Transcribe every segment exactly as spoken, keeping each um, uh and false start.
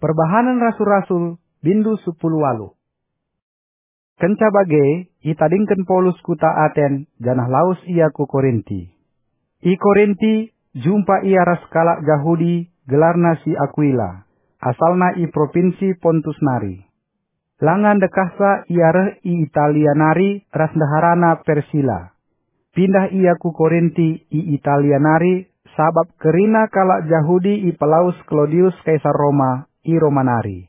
Perbahanen Rasul-Rasul, bindu sepuluh waluh. Kenca bage, itadingken Paulus kuta Aten, janah lawes ia ku Korinti. I Korinti, jumpa ia ras kalak Jahudi, gelarna si Akuila, asalna i propinsi Pontus nari. Langa ndekahsa ia reh i Italia nari ras ndeharana Persila. Pindah ia ku Korinti i Italia nari, sabap kerina kalak Jahudi ipelawes Klaudius Kaisar Roma i Roma nari.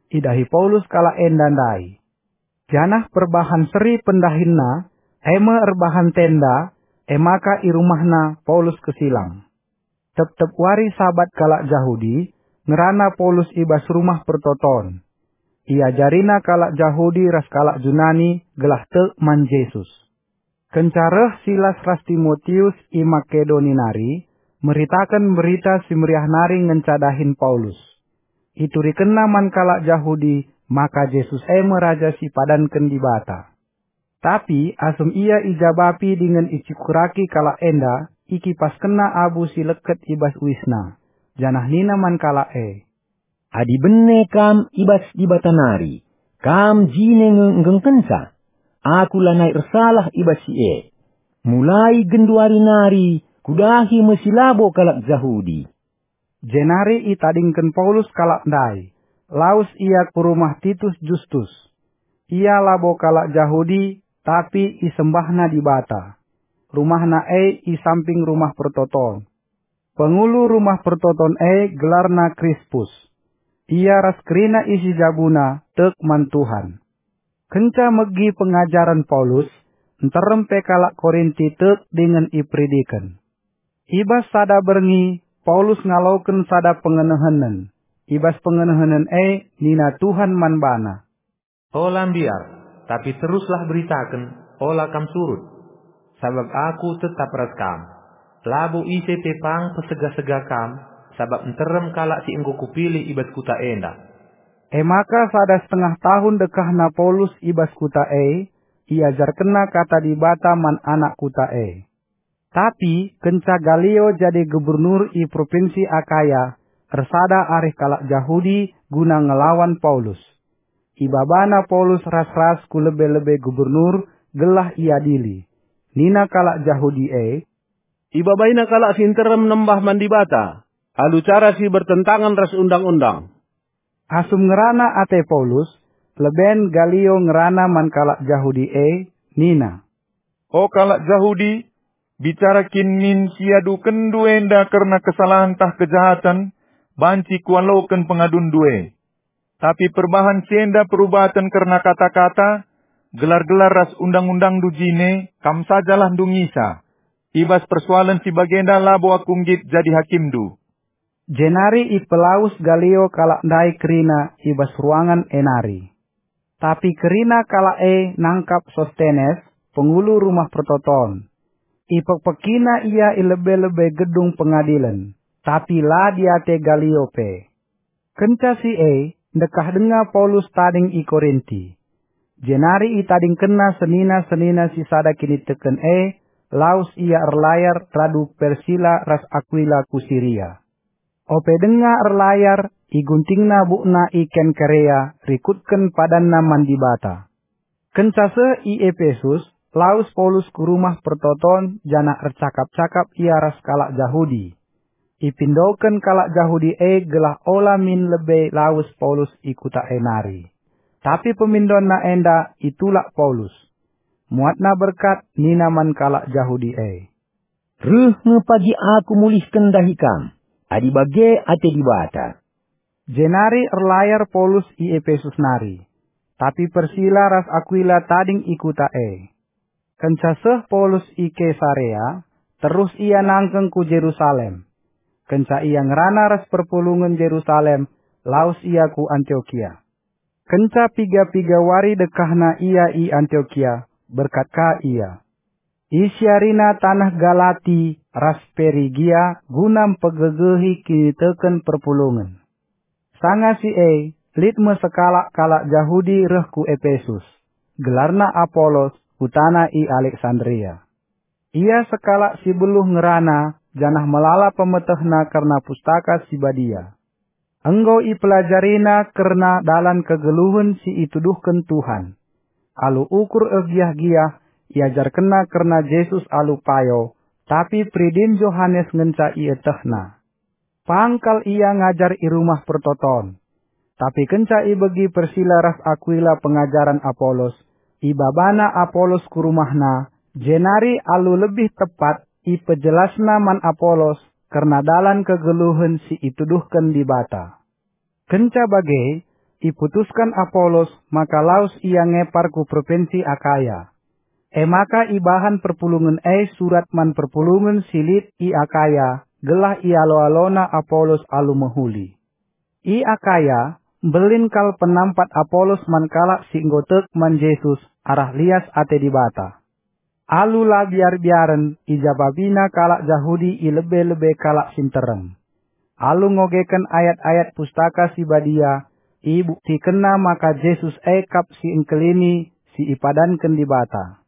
Idahi Paulus kalak enda ndai. Janah perbahan seri pendahinna, e me erbahan tenda, e maka i rumahna Paulus kesilang. Tep-tep wari Sabat kalak Jahudi, ngerana Paulus i bas Rumah Pertoton. Iajarina kalak Jahudi ras kalak Junani gelah tek man Jesus. Kenca reh Silas ras Timotius i Makedoni nari, meritaken Berita Si Meriah nari ngenca dahin Paulus. Iturikenna man kalak Jahudi maka Jesus e me Raja si ipadanken Dibata. Tapi asum ia ijabapi dingen icukuraki kalak enda, ikipaskenna abu si leket i bas uisna, janah nina man kalak e, "Adi bene kam i bas Dibata nari, kam jine nge nggengkenca. Aku lanai ersalah i bas si e. Mulai genduari nari kudahi me si labo kalak Jahudi." Jenari itadingken Paulus kalak ndai. Lawes ia ku rumah Titus Justus. Ia labo kalak Jahudi, tapi isembahna Dibata. Rumahna e i samping Rumah Pertoton. Pengulu Rumah Pertoton e gelarna Krispus. Ia ras kerina isi jabuna tek man Tuhan. Kenca megi pengajaren Paulus, nterem pe kalak Korinti tek dingen iperidiken. I bas sada berngi, Paulus ngaloken sada pengenehenen. I bas pengenehenen e nina Tuhan man bana, "Ola mbiar, tapi teruslah beritaken, ola kam surut. Sabap aku tetap ras kam. Labo ise pe pang pesega-sega kam, sabap nterem kalak si enggo kupilih i bas kuta enda." E maka sada setengah tahun dekahna Paulus i bas kuta e, iajarkenna kata Dibata man anak kuta e. Tapi kenca Galio jadi gubernur i propinsi Akaya, ersada arih kalak Jahudi guna ngelawan Paulus. Ibabana Paulus ras-ras ku lebe-lebe gubernur gelah iadili. Nina kalak Jahudi e, "Ibabaina kalak si nterem nembah man Dibata alu cara si bertentangen ras Undang-undang." Asum ngerana ate Paulus, leben Galio ngerana man kalak Jahudi e, nina, "O kalak Jahudi, bicara kin min si iadukenndu enda kerna kesalahen tah kejahaten, banci kualoken pengadunndu e. Tapi perbahan si enda perubaten kerna kata-kata, gelar-gelar ras undang-undangndu jine, kam sajalah ndungisa. I bas persoalen si bagenda labo aku nggit jadi hakimndu." Jenari ipelawes Galio kalak ndai kerina i bas ruangan e nari. Tapi kerina kalak e nangkap Sostenes, pengulu Rumah Pertoton. Ipekpekina ia i lebe-lebe gedung pengadilen, tapi la diate Galio pe. Kenca si e, ndekah denga Paulus tading i Korinti. Jenari itadingkenna senina-senina si sada kiniteken e, lawes ia erlayar radu Persila ras Akuila ku Siria. Ope denga erlayar, iguntingna bukna i Kenkerea, rikutken padanna man Dibata. Kenca seh i Epesus, lawes Paulus ku Rumah Pertoton janah ercakap-cakap ia ras kalak Jahudi. Ipindoken kalak Jahudi e gelah ola min lebe lawes Paulus i kuta e nari. Tapi pemindonna enda itulak Paulus. Muatna berkat nina man kalak Jahudi e, "Reh nge pagi aku mulihken ndahi kam, adi bage ate Dibata." Jenari erlayar Paulus i Epesus nari, tapi Persila ras Akuila tading i kuta e. Kenca seh Paulus i Kesarea, terus ia nangkeng ku Jerusalem. Kenca ia ngerana ras perpulungen Jerusalem, lawes ia ku Antiokia. Kenca piga-piga wari dekahna ia i Antiokia, berkat ka ia. Isiarina taneh Galati ras Perigia guna mpegegehi kiniteken perpulungen. Sanga si e, lit me sekalak kalak Jahudi reh ku Epesus, gelarna Apolos, kutana i Aleksandria. Ia sekalak si beluh ngerana, janah melala pemetehna kerna Pustaka Si Badia. Enggo ipelajarina kerna dalan kegeluhen si ituduhken Tuhan. Alu ukur ergiah-giah, iajarkenna kerna Jesus alu payo, tapi peridin Johanes ngenca ietehna. Pang kal ia ngajar i rumah pertoton. Tapi kenca ibegi Persila ras Akuila pengajaren Apolos, ibabana Apolos ku rumahna, jenari alu lebih tepat ipejelasna man Apolos kerna dalan kegeluhen si ituduhken Dibata. Kenca bage, iputusken Apolos maka lawes ia ngepar ku propinsi Akaya. E maka ibahan perpulungen e surat man perpulungen si lit i Akaya, gelah ialo-alona Apolos alu mehuli. I Akaya, mbelin kal penampat Apolos man kalak si enggo tek man Jesus arah lias ate Dibata. Alu la biar-biaren ijabapina kalak Jahudi i lebe-lebe kalak si nterem. Alu ngogeken ayat-ayat Pustaka Si Badia, ibuktikenna maka Jesus e kap si engkelini si ipadanken Dibata.